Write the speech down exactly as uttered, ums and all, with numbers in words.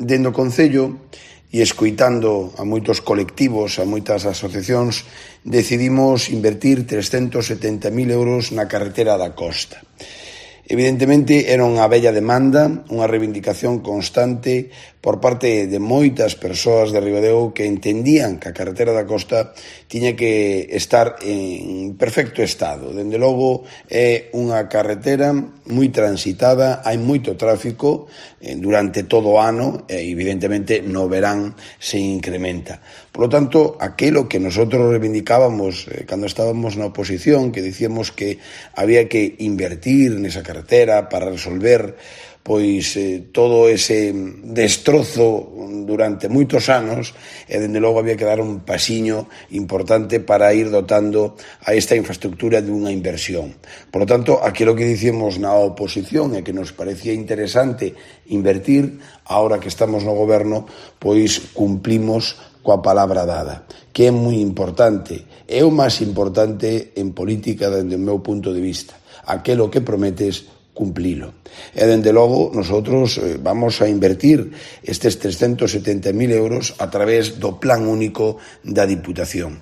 dende o Concello e escoitando a moitos colectivos, a moitas asociacións, decidimos invertir trescentos setenta mil euros na carretera da Costa. Evidentemente, era unha bella demanda, unha reivindicación constante por parte de moitas persoas de Ribadeo que entendían que a carretera da Costa tiña que estar en perfecto estado. Dende logo, é unha carretera moi transitada, hai moito tráfico durante todo o ano e, evidentemente, no verán se incrementa. Por lo tanto, aquilo que nosotros reivindicábamos eh, cando estábamos na oposición, que dicíamos que había que invertir nesa carretera para resolver pois eh, todo ese destrozo durante moitos anos e, dende logo, había que dar un pasiño importante para ir dotando a esta infraestructura dunha inversión. Por lo tanto, aquilo que dicíamos na oposición e que nos parecía interesante invertir, ahora que estamos no goberno, pois cumplimos coa palabra dada, que é moi importante, é o máis importante en política dende o meu punto de vista. Aquelo que prometes, cumplilo. E, dende logo, nosotros eh, vamos a invertir estes trescentos setenta mil euros a través do Plan Único da Diputación.